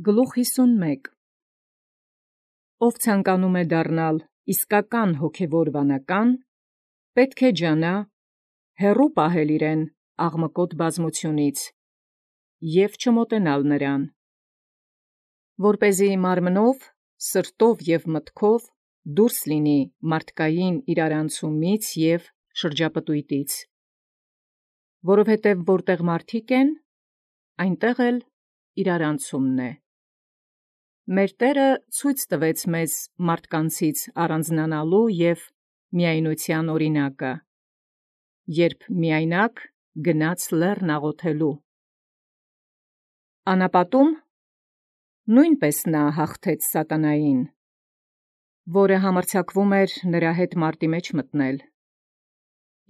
Գլուխ 51 Ով ցանկանում է դառնալ իսկական հոգևոր վանական, պետք է ջանա հեռու պահել իրեն աղմկոտ բազմությունից և չմոտենալ նրան, որպեսզի մարմնով, սրտով և մտքով դուրս լինի մարդկային իրարանցումից և շրջապտույտից, որովհետև որտեղ մարդիկ են, այնտեղ էլ իրարանցումն է։ Մեր Տէրը ցույց տվեց մեզ մարդկանցից առանձնանալու և միայնության օրինակը, երբ միայնակ գնաց լեռն աղոթելու։ Անապատում նույնպես նա հաղթեց սատանային, որը համարձակվում էր նրա հետ մարտի մեջ մտնել։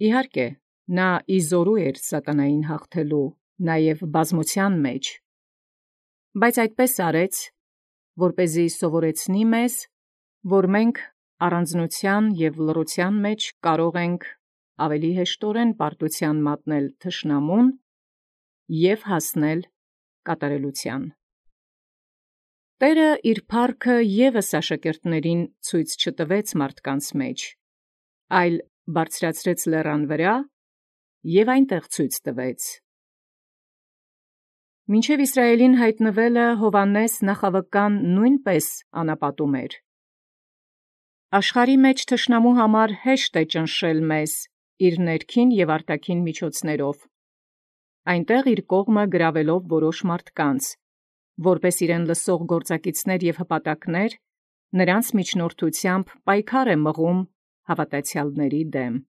Իհարկե, նա իզորու էր սատանային հաղթելու, նաև բազմության մեջ, բայց այդպես արեց, որպեսզի սովորեցնի մեզ, որ մենք առանձնության և լռության մեջ կարող ենք ավելի հեշտորեն պարտության մատնել թշնամուն և հասնել կատարելության։ Տէրը իր փառքը ևս աշակերտներին ցույց չտվեց մարդկանց մեջ, այլ բարձրացրեց լեռան վրա և այնտեղ ցույց տվեց։ Մինչև Իսրայելին հայտնվելը Հովհաննես նախավկան նույնպես անապատում էր։ Աշխարհի մեջ թշնամու համար հեշտ է ճնշել մեզ իր ներքին և արտաքին միջոցներով, այնտեղ իր կողմը գրավելով որոշ մարդկանց, որպես իրեն լսող գործակիցներ և հպատակներ, նրանց միջնորդությամբ պայքար է մղում հավատացյալների դեմ։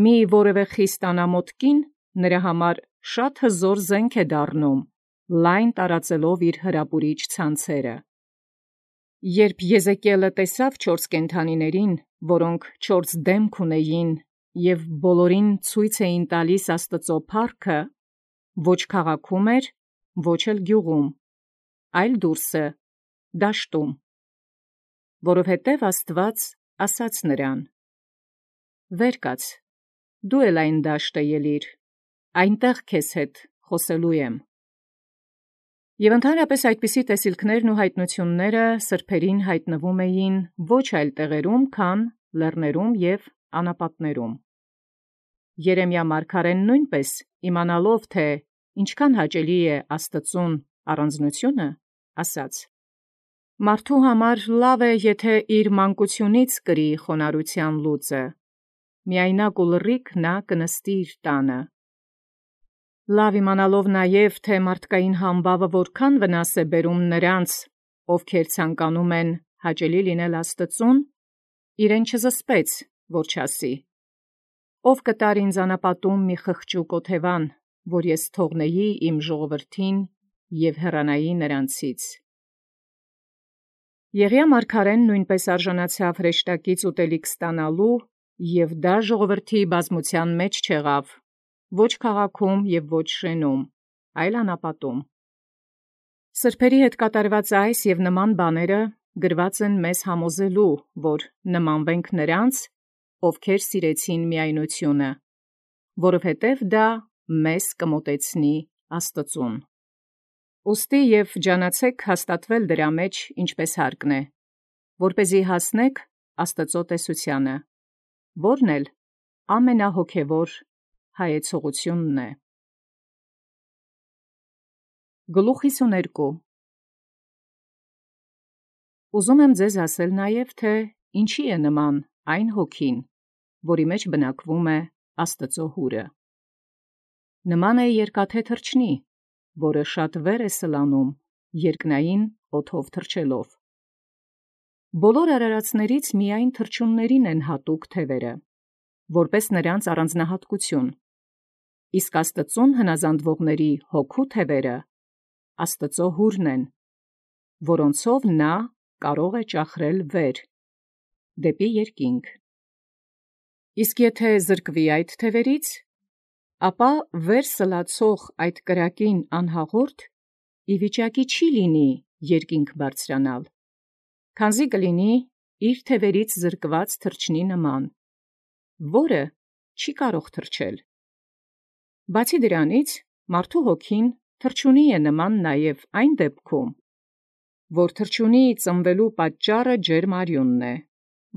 Մի որևէ խիստ անամոթ կին նրա համար շատ հզոր զենք է դառնում, լայն տարածելով իր հրապուրիչ ցանցերը։ Երբ Եզեկիելը տեսավ 4 կենդանիներին, որոնք 4 դեմք ունեին և բոլորին ցույց էին տալիս Աստծո փառքը, ոչ քաղաքում էր, ոչ էլ գյուղում, այլ դուրսը, դաշտում, որովհետև Աստված ասաց նրան. «Վեր կաց, դու էլ այն դաշտը ելիր, այնտեղ քեզ հետ խոսելու եմ»։ Եվ ընդհանրապես այդպիսի տեսիլքներն ու հայտնությունները սրբերին հայտնվում էին ոչ այլ տեղերում, քան լեռներում և անապատներում։ Երեմիա մարգարեն նույնպես իմանալով, թե ինչքան հաճելի է Աստծուն առանձնությունը, ասաց. «Մարդու համար լավ է, եթե իր մանկությունից կրի խոնարհության լուծը, միայնակ ու լռիկ նա կնստի իր տանը։ Լավ իմանալով նաև, թե մարդկային համբավը որքան վնաս է բերում նրանց, ովքեր ցանկանում են հաճելի լինել Աստծուն, իրեն չզսպեց, որ չասի. «Ով կտար ինձ անապատում մի խղճուկ օթևան, որ ես թողնեի իմ ժողովրդին և հեռանայի նրանցից»։ Եղիա մարգարեն նույնպես արժանացավ հրեշտակից ուտելիք ստանալու, և դա ժողովրդի բազմության մեջ չեղավ, ոչ քաղաքում և ոչ շենում, այլ անապատում։ Սրբերի հետ կատարված այս և նման բաները գրված են մեզ համոզելու, որ նմանվենք նրանց, ովքեր սիրեցին միայնությունը, որովհետև դա մեզ կմոտեցնի Աստծուն։ Ուստի և ջանացէք հաստատվել դրա մեջ ինչպես հարկն է, որպեսզի հասնեք Աստծո տեսությանը, որն էլ ամենահոգևոր հայեցողությունն է։ Գլուխ 52 Ուզում եմ ձեզ ասել նաև, թե ինչի է նման այն հոգին, որի մեջ բնակվում է Աստծո հուրը։ Նման է երկաթե թռչնի, որը շատ վեր է սլանում, երկնային օդով թռչելով։ Բոլոր արարածներից միայն թռչուններին են հատուկ թևերը, որպես նրանց առանձնահատկություն, իսկ Աստծուն հնազանդվողների հոգու թևերը Աստծո հուրն են, որոնցով նա կարող է ճախրել վեր, դեպի երկինք։ Իսկ եթե զրկվի այդ թևերից, ապա վեր սլացող այդ կրակին անհաղորդ ի վիճակի չի լինի երկինք բարձրանալ, քանզի կլինի իր թևերից զրկված թռչնի նման, որը չի կարող թռչել։ Բացի դրանից, մարդու հոգին թռչունի է նման նաև այն դեպքում, որ թռչունի ծնվելու պատճառը ջերմարյունն է,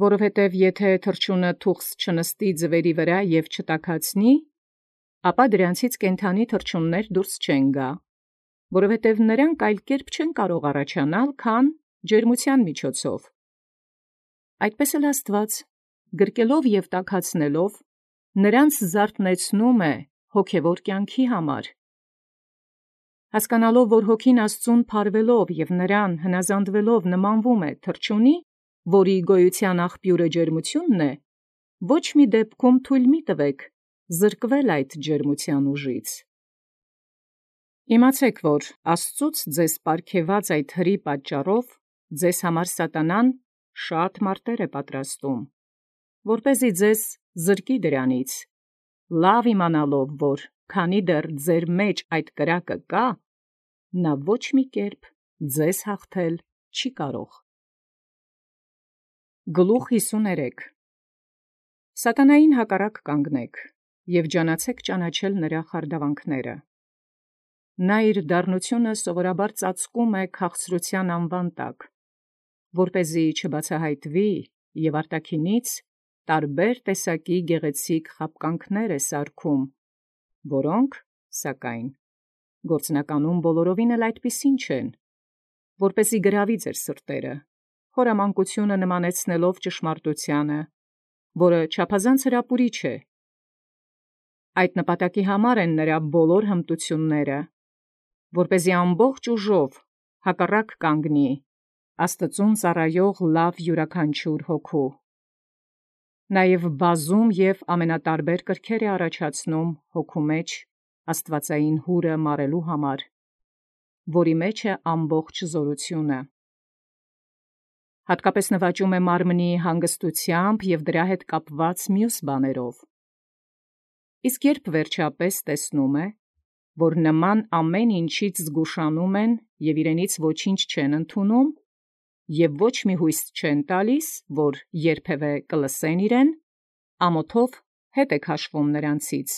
որովհետև եթե թռչունը թուղթ չնստի ձվերի վրա և չտաքացնի, ապա դրանցից կենդանի թռչուններ դուրս չեն գա, որովհետև նրանք այլ կերպ չեն կարող առաջանալ, քան ջերմության միջոցով։ Այդպես էլ Աստված, գրկելով և տաքացնելով, նրանց զարթնեցնում է հոգևոր կյանքի համար։ Հասկանալով, որ հոգին Աստծուն փարվելով և նրան հնազանդվելով նմանվում է թռչունի, որի գոյության աղբյուրը ջերմությունն է, ոչ մի դեպքում թույլ մի տվեք զրկվել այդ ջերմության ուժից։ Իմացեք, որ Աստծուց ձեզ պարգևած այդ հրի պատճառով ձեզ համար սատանան շատ մարտեր է պատրաստում, որպեսզի ձեզ զրկի դրանից, լավ իմանալով, որ քանի դեռ ձեր մեջ այդ կրակը կա, նա ոչ մի կերպ ձեզ հաղթել չի կարող։ Գլուխ 53 Սատանային հակառակ կանգնեք և ջանացեք ճանաչել նրա խարդավանքները։ Նա իր դառնությունը սովորաբար ծածկում է քաղցրության անվան տակ, որպեսզի չբացահայտվի և արտաքինից տարբեր տեսակի գեղեցիկ խաբկանքներ է սարքում, որոնք, սակայն, գործնականում բոլորովին էլ այդպիսին չեն, որպեսզի գրավի ձեր սրտերը, խորամանկությունը նմանեցնելով ճշմարտությանը, որը չափազանց հրապուրիչ է։ Այդ նպատակի համար են նրա բոլոր հմտությունները, որպեսզի ամբողջ ուժով հակառակ կանգնի Աստծուն ծառայող լավ յուրաքանչյուր հոգու։ Նաև բազում և ամենատարբեր կրքեր է առաջացնում հոգու մեջ աստվածային հուրը մարելու համար, որի մեջ է ամբողջ զորությունը։ Հատկապես նվաճում է մարմնի հանգստությամբ և դրա հետ կապված մյուս բաներով։ Իսկ երբ վերջապես տեսնում է, որ նման ամեն ինչից զգուշանում են և իրենից ոչինչ չեն ընդունում, և ոչ մի հույս չեն տալիս, որ երբևէ կլսեն իրեն, ամոթով հետ է քաշվում նրանցից։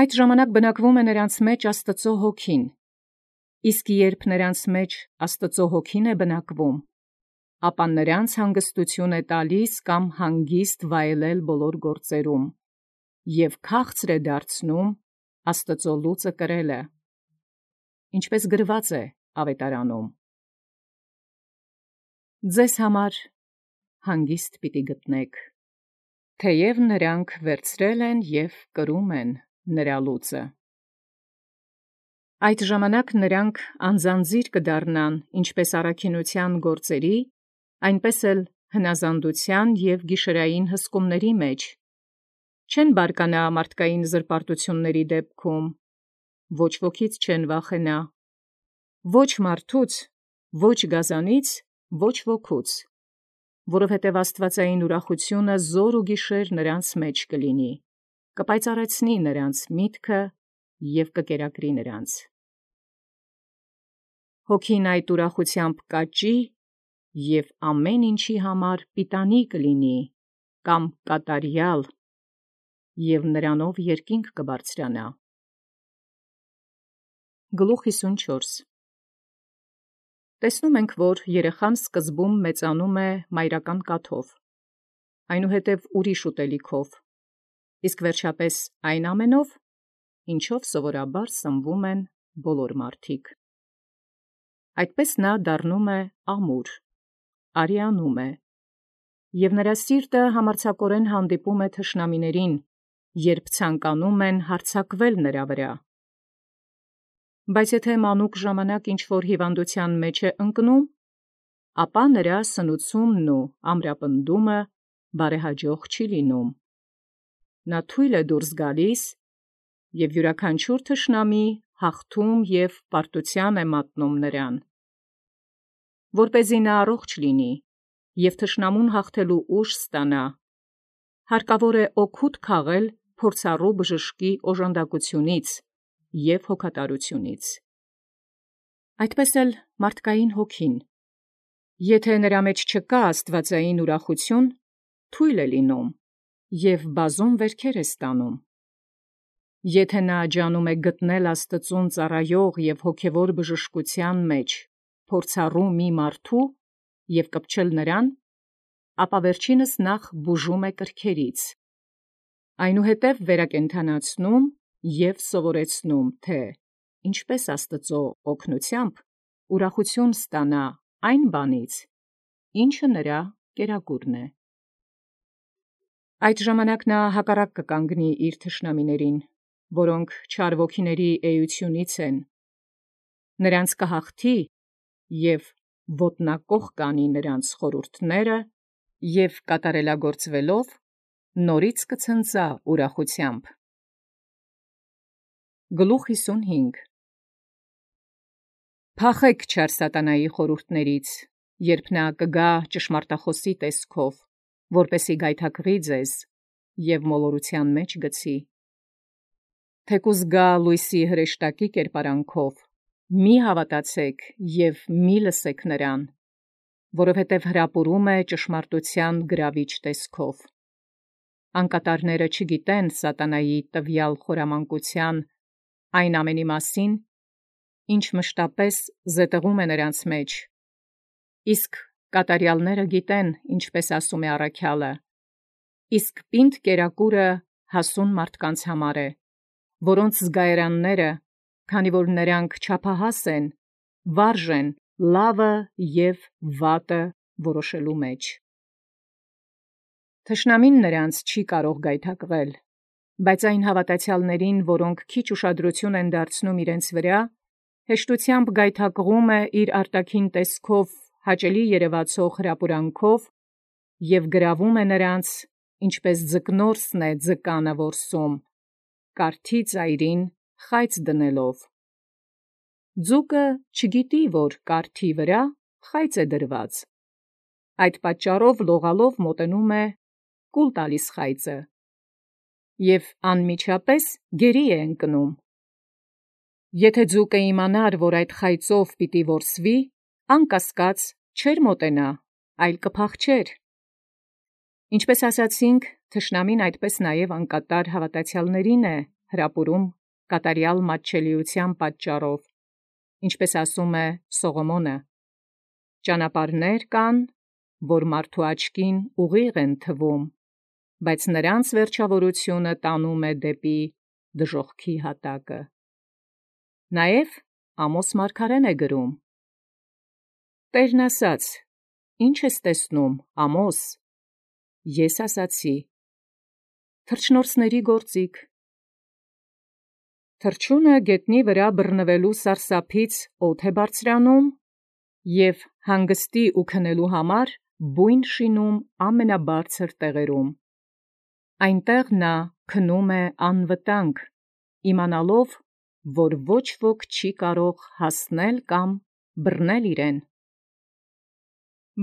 Այդ ժամանակ բնակվում է նրանց մեջ Աստծո հոգին, իսկ երբ նրանց մեջ Աստծո հոգին է բնակվում, ապա նրանց հանգստություն է տալիս կամ հանգիստ վայելել բոլոր գործերում, և քաղցր է դարձնում Աստծո լուծը կրելը, ինչպես գրված է Ավետարանում. «Ձեզ համար հանգիստ պիտի գտնեք, թեև նրանք վերցրել են և կրում են նրա լուծը»։ Այդ ժամանակ նրանք անձանձիր կդառնան ինչպես առաքինության գործերի, այնպես էլ հնազանդության և գիշերային հսկումների մեջ, չեն բարկանա մարդկային զրպարտությունների դեպքում, ոչ ոքից չեն վախենա, ոչ մարդուց, ոչ գազանից, ոչ ոգուց, որովհետև աստվածային ուրախությունը զոր ու գիշեր նրանց մեջ կլինի, կպայծառեցնի նրանց միտքը և կկերակրի նրանց։ Հոգին այդ ուրախությամբ կաճի և ամեն ինչի համար պիտանի կլինի կամ կատարյալ, և նրանով երկինք կբարձրանա։ Գլուխ 54 Տեսնում ենք, որ երեխան սկզբում մեծանում է մայրական կաթով, այնուհետև ուրիշ ուտելիքով, իսկ վերջապես այն ամենով, ինչով սովորաբար սնվում են բոլոր մարդիկ։ Այդպես նա դառնում է ամուր, արիանում է, և նրա սիրտը համարձակորեն հանդիպում է թշնամիներին, երբ ցանկանում են հարձակվել նրա վրա։ Բայց եթե մանուկ ժամանակ ինչ-որ հիվանդության մեջ է ընկնում, ապա նրա սնուցումն ու ամրապնդումը բարեհաջող չի լինում։ Նա թույլ է դուրս գալիս, և յուրաքանչյուր թշնամի հաղթում և պարտության է մատնում նրան։ Որպեսզի նա առողջ լինի և թշնամուն հաղթելու ուժ ստանա, հարկավոր է օգուտ քաղել փորձառու բժշկի օժանդակությունից և հոգատարությունից։ Այդպես էլ մարդկային հոգին, եթե նրա մեջ չկա աստվածային ուրախություն, թույլ է լինում և բազում վերքեր է ստանում։ Եթե նա ջանում է գտնել Աստծուն ծառայող եւ հոգևոր բժշկության մեջ փորձառու մի մարդու եւ կպչել նրան, ապա վերջինս նախ բուժում է կրքերից, այնուհետև վերակենդանացնում եւ սովորեցնում, թե ինչպես Աստծո օգնությամբ ուրախություն ստանա այն բանից, ինչը նրա կերակուրն է։ Այդ ժամանակ նա հակառակ կկանգնի իր թշնամիներին, որոնք չար ոգիների էությունից են, նրանց կհաղթի եւ ոտնակոխ կանի նրանց խորհուրդները եւ կատարելագործվելով նորից կցնծա ուրախությամբ։ Գլուխ 55 Փախեք չար սատանայի խորհուրդներից, երբ նա կգա ճշմարտախոսի տեսքով, որպեսի գայթակղի ձեզ եւ մոլորության մեջ գցի։ Թեկուզ գա լույսի հրեշտակի կերպարանքով, մի հավատացեք եւ մի լսեք նրան, որովհետեւ հրապուրում է ճշմարտության գրավիչ տեսքով։ Անկատարները չգիտեն սատանայի տվյալ խորամանկության այն ամենի մասին, ինչ մշտապես զետեղում է նրանց մեջ, իսկ կատարյալները գիտեն, ինչպես ասում է առաքյալը, իսկ պինդ կերակուրը հասուն մարդկանց համար է, որոնց զգայարանները, քանի որ նրանք չափահաս են, վարժ են լավը եւ վատը որոշելու մեջ։ Թշնամին նրանց չի կարող գայթակղել, բայց այն հավատացյալներին, որոնք քիչ ուշադրություն են դարձնում իրենց վրա, հեշտությամբ գայթակղում է իր արտաքին տեսքով հաճելի երևացող հրապուրանքով եւ գրավում է նրանց, ինչպես ձկնորսն է ձկանը որսում, կարթի ծայրին խայծ դնելով։ Ձուկը չգիտի, որ կարթի վրա խայծ է դրված, այդ պատճառով լողալով մոտենում է, կուլ տալիս խայծը եւ անմիջապես գերի է ընկնում։ Եթե ձուկը իմանար, որ այդ խայծով պիտի որսվի, անկասկած չէր մոտենա, այլ կփախչեր։ Ինչպես ասացինք, թշնամին այդպես նաև անկատար հավատացյալներին է հրապուրում կատարյալ մատչելիության պատճառով, ինչպես ասում է Սողոմոնը. ճանապարհներ կան, որ մարդու աչքին ուղիղ են թվում, բայց նրանց վերջավորությունը տանում է դեպի դժոխքի հատակը։ Նաև Ամոս մարգարեն է գրում. Տերն ասաց. Ինչ ես տեսնում, Ամոս։ Ես ասացի. թռչնորսների գործիք։ Թռչունը գետնի վրա բռնվելու սարսափից օդ է բարձրանում և հանգստի ու քնելու համար բույն շինում ամենաբարձր տեղերում։ Այնտեղ նա քնում է անվտանգ, իմանալով, որ ոչ ոք չի կարող հասնել կամ բռնել իրեն։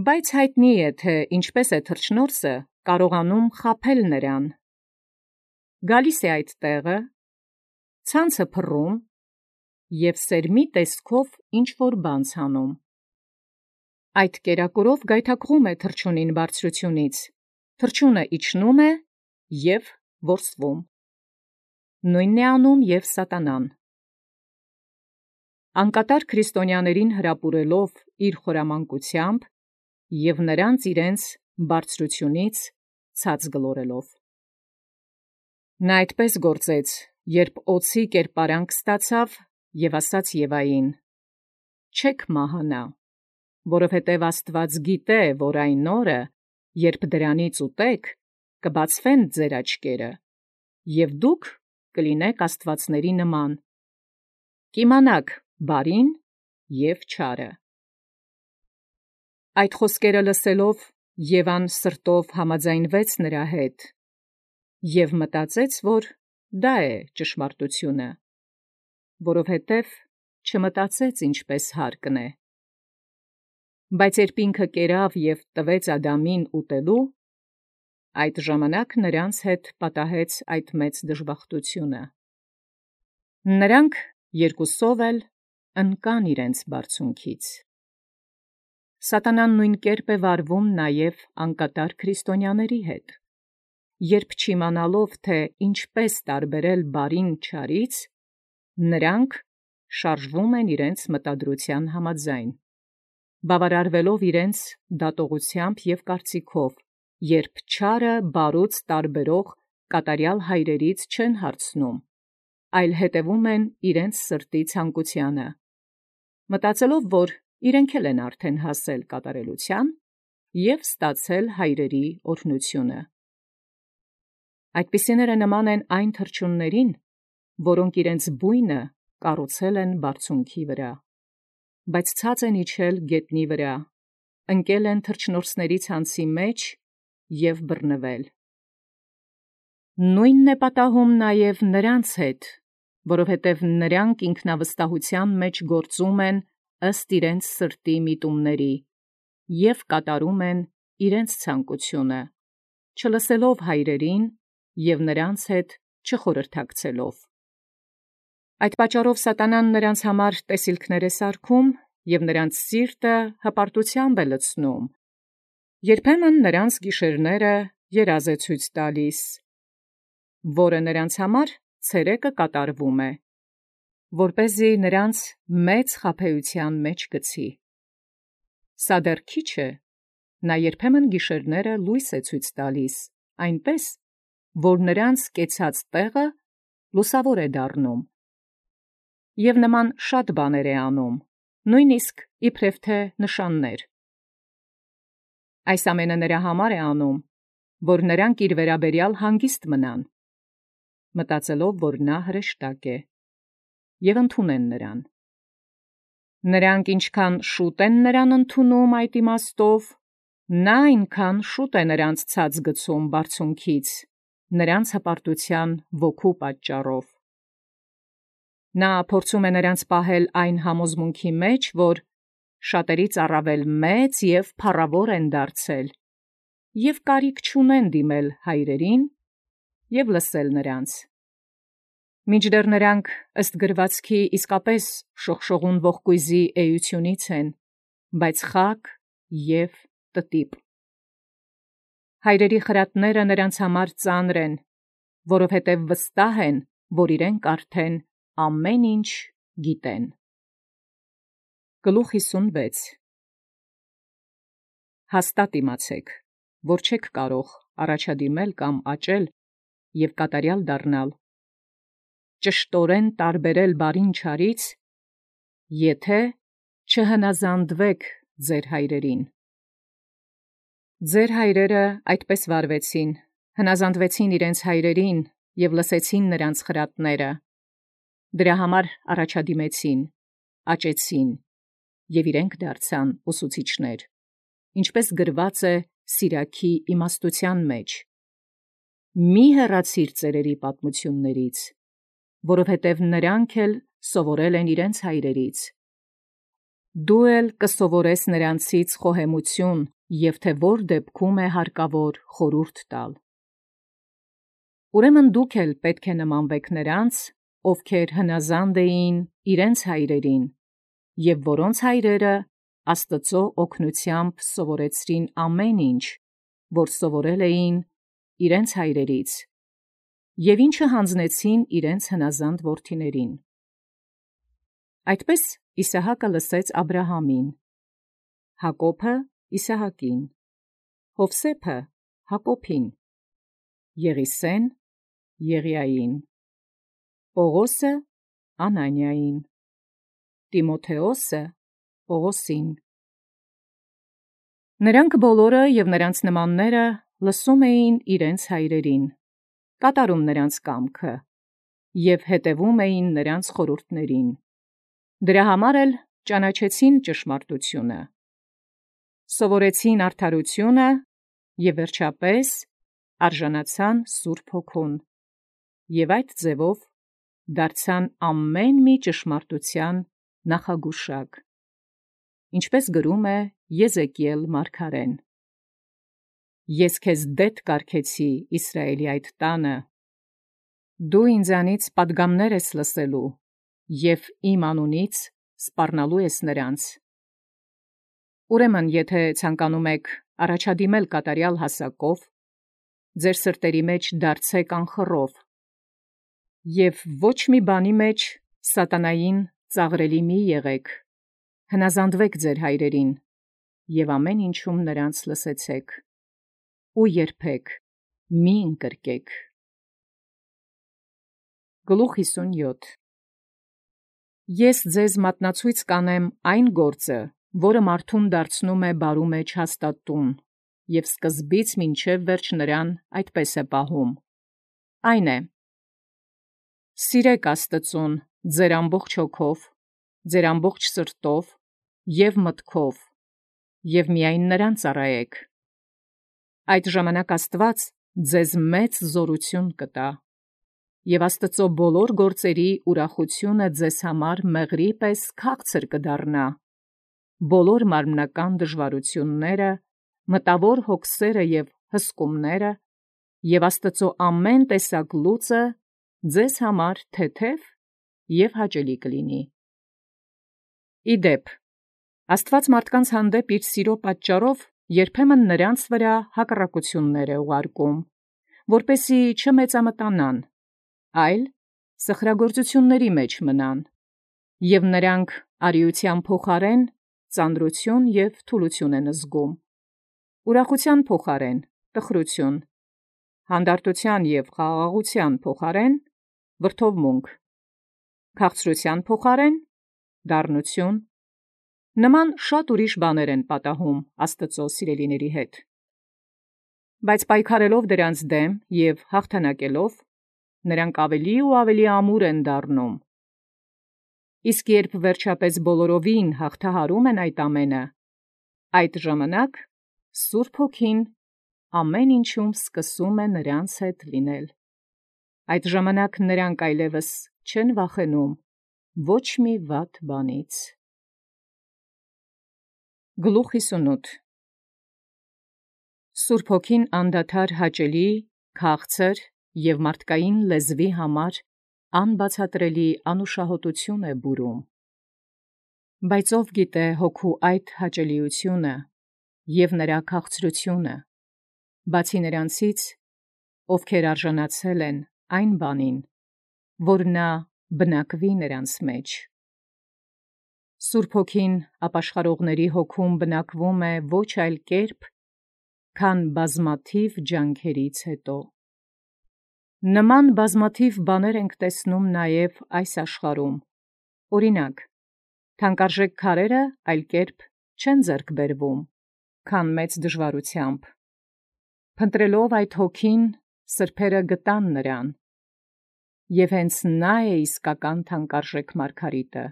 Բայց հայտնի է, թե ինչպես է թռչնորսը կարողանում խաբել նրան։ Գալիս է այդ տեղը, ցանցը փռում և սերմի տեսքով ինչ-որ բան ցանում։ Այդ կերակուրով գայթակղում է թռչունին բարձրությունից, թռչունը իջնում է և որսվում։ Նույնն է անում և սատանան։ Անկատար քրիստոնյաներին հրապուրելով իր խորամանկությամբ և նրանց իրենց բարձրությունից ցած գլորելով։ Նա այդպես գործեց, երբ օձի կերպարանք ստացավ և ասաց Եվային. «Չեք մահանա, որովհետև Աստված գիտե, որ այն օրը, երբ դրանից ուտեք, կբացվեն ձեր աչքերը, և դուք կլինեք աստվածների նման, կիմանաք բարին և չարը»։ Այդ խոսքերը լսելով Եվան սրտով համաձայնվեց նրա հետ և մտածեց, որ դա է ճշմարտությունը, որովհետև չմտածեց ինչպես հարկն է։ Բայց երբ ինքը կերավ և տվեց Ադամին ուտելու, այդ ժամանակ նրանց հետ պատահեց այդ մեծ դժբախտությունը։ Նրանք երկուսով էլ ընկան իրենց բարձունքից։ Սատանան նույն կերպ է վարվում նաև անկատար քրիստոնյաների հետ։ երբ չիմանալով, թե ինչպես տարբերել բարին չարից, նրանք շարժվում են իրենց մտադրության համաձայն, բավարարվելով իրենց դատողությամբ և կարծիքով, երբ չարը բարուց տարբերող կատարյալ հայրերից չեն հարցնում, այլ հետևում են իրենց սրտի ցանկությանը, մտածելով, որ իրենք էլ են արդեն հասել կատարելության և ստացել հայրերի օրհնությունը։ Այդպիսիները նման են այն թռչուններին, որոնք իրենց բույնը կառուցել են բարձունքի վրա, բայց ցած են իջել գետնի վրա, ընկել են թռչնորսների ցանցի մեջ և բռնվել։ Նույնն է պատահում նաև նրանց հետ, որովհետև նրանք ինքնավստահության մեջ գործում են ըստ իրենց սրտի միտումների և կատարում են իրենց ցանկությունը, չլսելով հայրերին և նրանց հետ չխորհրդակցելով։ Այդ պատճառով սատանան նրանց համար տեսիլքներ է սարքում և նրանց սիրտը հպարտությամբ է լցնում, երբեմն նրանց գիշերները երազ է ցույց տալիս, որը նրանց համար ցերեկը կատարվում է, որպեսզի նրանց մեծ խաբեության մեջ գցի։ Սա դեռ քիչ է, նա երբեմն գիշերները լույս է ցույց տալիս, այնպես, որ նրանց կեցած տեղը լուսավոր է դառնում, և նման շատ բաներ է անում, նույնիսկ իբրև թե նշաններ։ Այս ամենը նրա համար է անում, որ նրանք իր վերաբերյալ հանգիստ մնան, մտածելով, որ նա հրեշտակ է, և ընդունեն նրան։ Նրանք ինչքան շուտ են նրան ընդունում այդ իմաստով, նա այնքան շուտ է նրանց ցած գցում բարձունքից, նրանց հպարտության ոգու պատճառով։ Նա փորձում է նրանց պահել այն համոզմունքի մեջ, որ շատերից առավել մեծ և փառավոր են դարձել, և կարիք չունեն դիմել հայրերին և լսել նրանց։ Մինչդեռ նրանք ըստ գրվածքի իսկապես շողշողուն ողկույզի էությունից են, բայց խաք և տտիպ։ Հայրերի խրատները նրանց համար ծանր են, որովհետև վստահ են, որ իրենք արդեն ամեն ինչ գիտեն։ Գլուխ 56 Հաստատ իմացեք, որ չեք կարող առաջադիմել կամ աճել և կատարյալ դառնալ, ճշտորեն տարբերել բարին չարից, եթե չհնազանդվեք ձեր հայրերին։ Ձեր հայրերը այդպես վարվեցին, հնազանդվեցին իրենց հայրերին և լսեցին նրանց խրատները, դրա համար առաջադիմեցին, աճեցին և իրենք դարձան ուսուցիչներ, ինչպես գրված է Սիրաքի իմաստության մեջ. «Մի հեռացիր ծերերի պատմություններից, որովհետև նրանք էլ սովորել են իրենց հայրերից։ Դու էլ կսովորես նրանցից խոհեմություն և թե որ դեպքում է հարկավոր խորհուրդ տալ։ Ուրեմն դուք էլ պետք է նմանվեք նրանց, ովքեր հնազանդ էին իրենց հայրերին, և որոնց հայրերը Աստծո օգնությամբ սովորեցրին ամեն ինչ, որ սովորել էին իրենց հայրերից, և ինչը հանձնեցին իրենց հնազանդ որդիներին։ Այդպես Իսահակը լսեց Աբրահամին, Հակոբը Իսահակին, Հովսեփը Հակոբին, Եղիսեն Եղիային, Պողոսը Անանիային, Տիմոթեոսը Պողոսին։ Նրանք բոլորը և նրանց նմանները լսում էին իրենց հայրերին, կատարում նրանց կամքը և հետևում էին նրանց խորհուրդներին, դրա համար էլ ճանաչեցին ճշմարտությունը, սովորեցին արդարությունը և վերջապես արժանացան Սուրբ Հոգուն և այդ ձևով դարձան ամեն մի ճշմարտության նախագուշակ, ինչպես գրում է Եզեկիել մարգարեն. «Ես քեզ դետ կարգեցի Իսրայելի այդ տանը, դու ինձանից պատգամներ ես լսելու և իմ անունից սպառնալու ես նրանց։ Ուրեմն, եթե ցանկանում եք առաջադիմել կատարյալ հասակով, ձեր սրտերի մեջ դարձեք անխռով, և ոչ մի բանի մեջ սատանային ծաղրելի մի եղեք, հնազանդվեք ձեր հայրերին, և ամեն ինչում նրանց լսեցեք, ու երբեք մի ընկրկեք։ Գլուխ 57 Ես ձեզ մատնացույց կանեմ այն գործը, որը մարդուն դարձնում է բարու մեջ հաստատուն, և սկզբից մինչև վերջ նրան այդպես է պահում։ Այն է. սիրեք Աստծուն ձեր ամբողջ հոգով, ձեր ամբողջ սրտով և մտքով, և միայն նրան ծառայեք։ Այդ ժամանակ Աստված ձեզ մեծ զորություն կտա, և Աստծո բոլոր գործերի ուրախությունը ձեզ համար մեղրի պես քաղցր կդառնա, բոլոր մարմնական դժվարությունները, մտավոր հոգսերը և հսկումները, և Աստծո ամեն տեսակ լուծը ձեզ համար թեթև և հաճելի կլինի։ Ի դեպ, Աստված մարդկանց հանդեպ իր սիրո պատճառով երբեմն նրանց վրա հակառակություններ է ուղարկում, որպեսզի չմեծամտանան, այլ սխրագործությունների մեջ մնան, և նրանք արիության փոխարեն ծանրություն և թուլություն են զգում, ուրախության փոխարեն տխրություն, հանդարտության և խաղաղության փոխարեն վրդովմունք, քաղցրության փոխարեն դառնություն։ Նման շատ ուրիշ բաներ են պատահում Աստծո սիրելիների հետ։ Բայց պայքարելով դրանց դեմ և հաղթանակելով, նրանք ավելի ու ավելի ամուր են դառնում։ Իսկ երբ վերջապես բոլորովին հաղթահարում են այդ ամենը, այդ ժամանակ Սուրբ Հոգին ամեն ինչում սկսում է նրանց հետ լինել։ Այդ ժամանակ նրանք այլևս չեն վախենում ոչ մի վատ բանից։ Գլուխ 58 Սուրբ Հոգին անդադար հաճելի, քաղցր և մարդկային լեզվի համար անբացատրելի անուշահոտություն է բուրում։ Բայց ով գիտե Հոգու այդ հաճելիությունը և նրա քաղցրությունը, բացի նրանցից, ովքեր արժանացել են այն բանին, որ նա բնակվի նրանց մեջ։ Սուրբ Հոգին ապաշխարողների հոգում բնակվում է ոչ այլ կերպ, քան բազմաթիվ ջանքերից հետո։ Նման բազմաթիվ բաներ ենք տեսնում նաև այս աշխարհում, օրինակ, թանկարժեք քարերը այլ կերպ չեն ձեռք բերվում, քան մեծ դժվարությամբ։ Փնտրելով այդ Հոգին, սրբերը գտան նրան, և հենց նա է իսկական թանկարժեք մարգարիտը։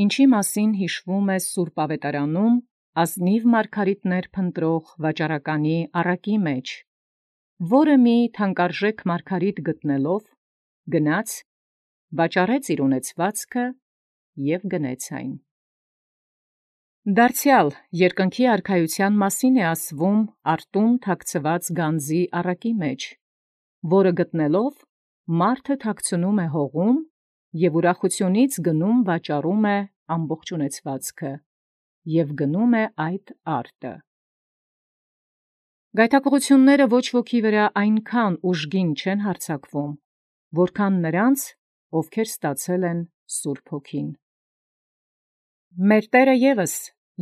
Ինչի մասին հիշվում է Սուրբ Ավետարանում ազնիվ մարգարիտներ փնտրող վաճառականի առակի մեջ, որը մի թանկարժեք մարգարիտ գտնելով, գնաց, վաճառեց իր ունեցվածքը և գնեց այն։ Դարձյալ երկնքի արքայության մասին է ասվում արտում թաքցված գանձի առակի մեջ, որը գտնելով, մարդը թաքցնում է հողում և ուրախությունից գնում վաճառում է ամբողջ ունեցվածքը և գնում է այդ արտը։ Գայթակղությունները ոչ ոքի վրա այնքան ուժգին չեն հարձակվում, որքան նրանց, ովքեր ստացել են Սուրբ Հոգին։ Մեր Տերը ևս,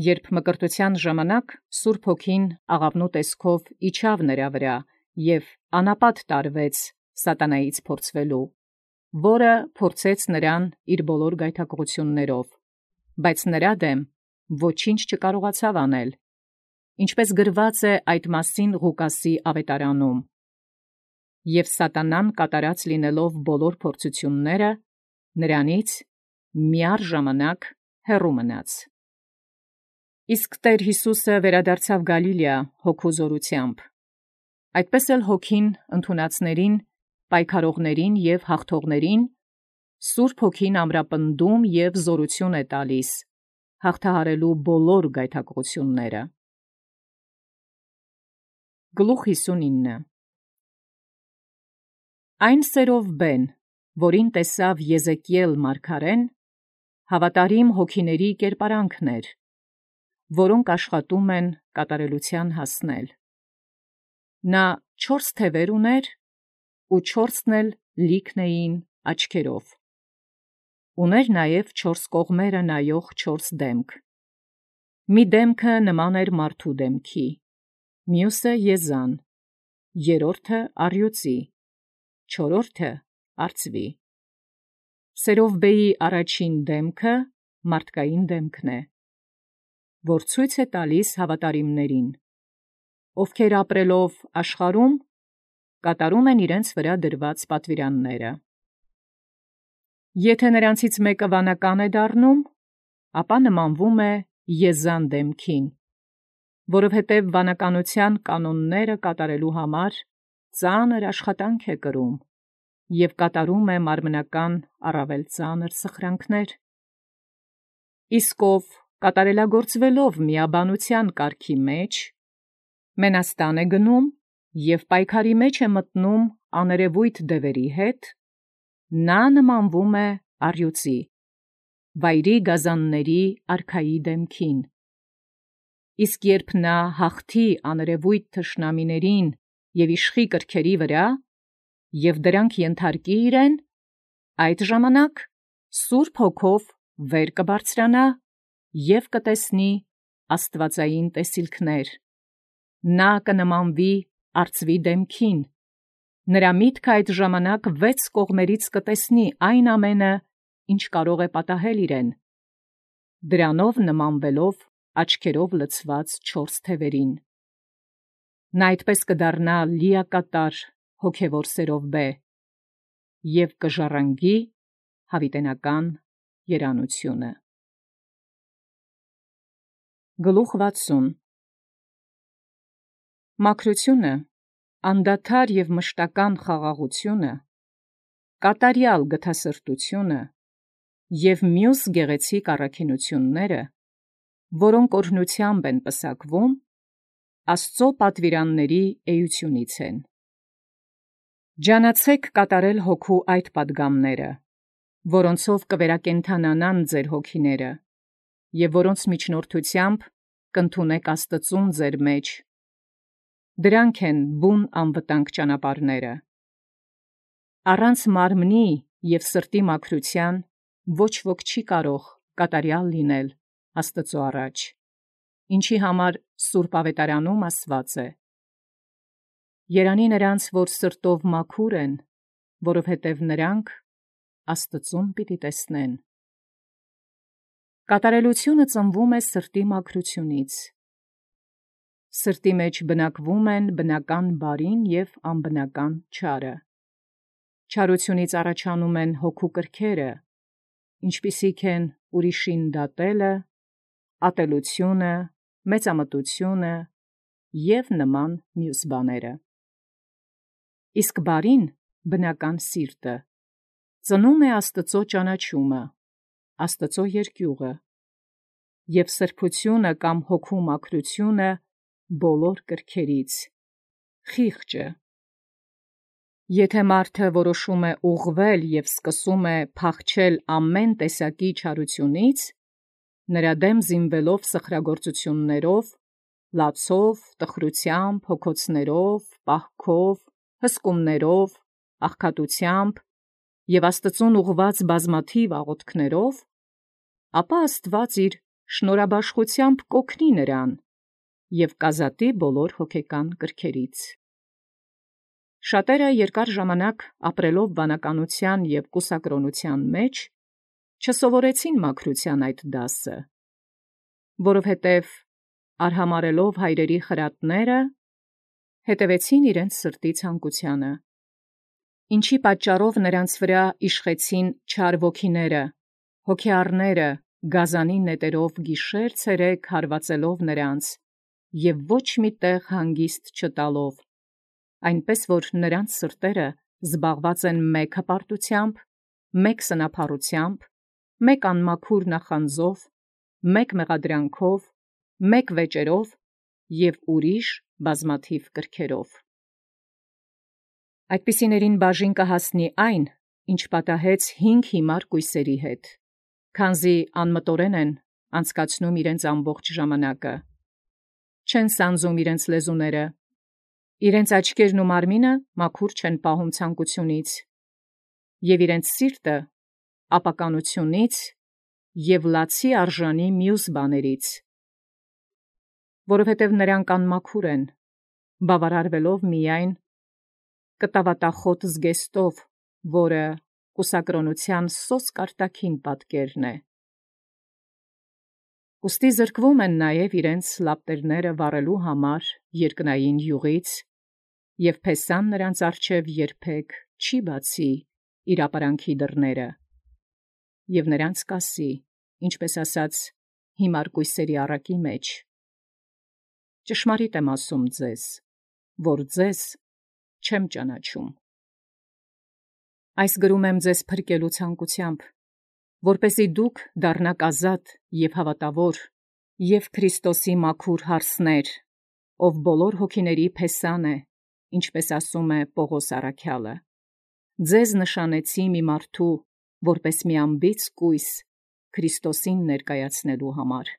երբ մկրտության ժամանակ Սուրբ Հոգին աղավնու տեսքով իջավ նրա վրա և անապատ տարվեց սատանայից փորձվելու, որը փորձեց նրան իր բոլոր գայթակղություններով, բայց նրա դեմ ոչինչ չկարողացավ անել, ինչպես գրված է այդ մասին Ղուկասի ավետարանում. և սատանան կատարած լինելով բոլոր փորձությունները, նրանից միառժամանակ հեռու մնաց։ Իսկ Տեր Հիսուսը վերադարձավ Գալիլեա հոգու զորությամբ։ Այդպես էլ Հոգին ընդունածներին, պայքարողներին և հաղթողներին Սուրբ Հոգին ամրապնդում և զորություն է տալիս, հաղթահարելու բոլոր գայթակղությունները։ Գլուխ 59 Այն սերով բեն, որին տեսավ Եզեկիել մարգարեն, հավատարիմ հոգիների կերպարանքն էր, որոնք աշխատում են կատարելության հասնել։ Նա 4 թևեր ուներ, ու 4-ն էլ լիքն էին աչքերով։ Ուներ նաև 4 կողմերը նայող 4 դեմք։ Մի դեմքը նման էր մարդու դեմքի, մյուսը եզան, երրորդը առյուծի, չորրորդը արծվի։ Սերովբեի առաջին դեմքը մարդկային դեմքն է, որ ցույց է տալիս հավատարիմներին, ովքեր ապրելով աշխարհում կատարում են իրենց վրա դրված պատվիրանները։ Եթե նրանցից մեկը վանական է դառնում, ապա նմանվում է եզան դեմքին, որովհետև վանականության կանոնները կատարելու համար ծանր աշխատանք է կրում և կատարում է մարմնական առավել ծանր սխրանքներ։ Իսկ ով կատարելագործվելով միաբանության կարգի մեջ, մենաստան է գնում և պայքարի մեջ է մտնում աներևույթ դևերի հետ, նա նմանվում է առյուծի, վայրի գազանների արքայի դեմքին։ Իսկ երբ նա հաղթի աներևույթ թշնամիներին և իշխի կրքերի վրա, և դրանք ենթարկի իրեն, այդ ժամանակ Սուրբ Հոգով վեր կբարձրանա և կտեսնի աստվածային տեսիլքներ։ Նա կնմանվի արծվի դեմքին, նրա միտքը այդ ժամանակ 6 կողմերից կտեսնի այն ամենը, ինչ կարող է պատահել իրեն, դրանով նմանվելով աչքերով լցված 4 թևերին։ Նա այդպես կդառնա լիակատար հոգևոր սերովբե և կժառանգի հավիտենական երանությունը։ Գլուխ 60 Մաքրությունը, անդադար և մշտական խաղաղությունը, կատարյալ գթասրտությունը և մյուս գեղեցիկ առաքինությունները, որոնք օրհնությամբ են պսակվում, Աստծո պատվիրանների էությունից են։ Ջանացեք կատարել հոգու այդ պատգամները, որոնցով կվերակենդանանան ձեր հոգիները, և որոնց միջնորդությամբ կընդունեք Աստծուն ձեր մեջ։ Դրանք են բուն անվտանգ ճանապարհները։ Առանց մարմնի և սրտի մաքրության ոչ ոք չի կարող կատարյալ լինել Աստծո առաջ, ինչի համար Սուրբ Ավետարանում ասված է. «Երանի նրանց, որ սրտով մաքուր են, որովհետև նրանք Աստծուն պիտի տեսնեն»։ Կատարելությունը ծնվում է սրտի մաքրությունից։ Սրտի մեջ բնակվում են բնական բարին և անբնական չարը։ Չարությունից առաջանում են հոգու կրքերը, ինչպիսիք են ուրիշին դատելը, ատելությունը, մեծամտությունը և նման մյուս բաները։ Իսկ բարին, բնական սիրտը, ծնում է Աստծո ճանաչումը, Աստծո երկյուղը և սրբությունը կամ հոգու մաքրությունը բոլոր կրքերից, խիղճը։ Եթե մարդը որոշում է ուղղվել և սկսում է փախչել ամեն տեսակի չարությունից, նրա դեմ զինվելով սխրագործություններով, լացով, տխրությամբ, հոգոցներով, պահքով, հսկումներով, աղքատությամբ և Աստծուն ուղղված բազմաթիվ աղոթքներով, ապա Աստված իր շնորհաբաշխությամբ կօգնի նրան և կազատի բոլոր հոգեկան կրքերից։ Շատերը երկար ժամանակ ապրելով վանականության և կուսակրոնության մեջ, չսովորեցին մաքրության այդ դասը, որովհետև արհամարհելով հայրերի խրատները, հետևեցին իրենց սրտի ցանկությանը, ինչի պատճառով նրանց վրա իշխեցին չար ոգիները, հոգեառները, գազանի նետերով գիշեր-ցերեկ հարվածելով նրանց և ոչ մի տեղ հանգիստ չտալով, այնպես որ նրանց սրտերը զբաղված են մեկ հպարտությամբ, մեկ սնափառությամբ, մեկ անմաքուր նախանձով, մեկ մեղադրանքով, մեկ վեճերով և ուրիշ բազմաթիվ կրքերով։ Այդպիսիներին բաժին կհասնի այն, ինչ պատահեց 5 հիմար կույսերի հետ, քանզի անմտորեն են անցկացնում իրենց ամբողջ ժամանակը, չեն սանձում իրենց լեզուները, Իրենց աչքերն ու մարմինը մաքուր չեն պահում ցանկությունից, եւ իրենց սիրտը ապականությունից եւ լացի արժանի մյուս բաներից, որովհետև նրանք անմաքուր են, բավարարվելով միայն կտավատախոտ զգեստով, որը կուսակրոնության սոսկ արտաքին պատկերն է։ Ուստի զրկվում են նաև իրենց լապտերները վառելու համար երկնային յուղից, եւ փեսան նրանց առջև երբեք չի բացի իր ապարանքի դռները, եւ նրանց կասի, ինչպես ասած, հիմար կույսերի առակի մեջ. ճշմարիտ եմ ասում ձեզ, որ ձեզ չեմ ճանաչում։ Այս գրում եմ ձեզ փրկելու ցանկությամբ, որպեսզի դուք դառնաք ազատ եւ հավատավոր եւ Քրիստոսի մաքուր հարսներ, ով բոլոր հոգիների փեսան է, ինչպես ասում է Պողոս առաքյալը. ձեզ նշանեցի մի մարդու, որպես մի անբիծ կույս Քրիստոսին ներկայացնելու համար։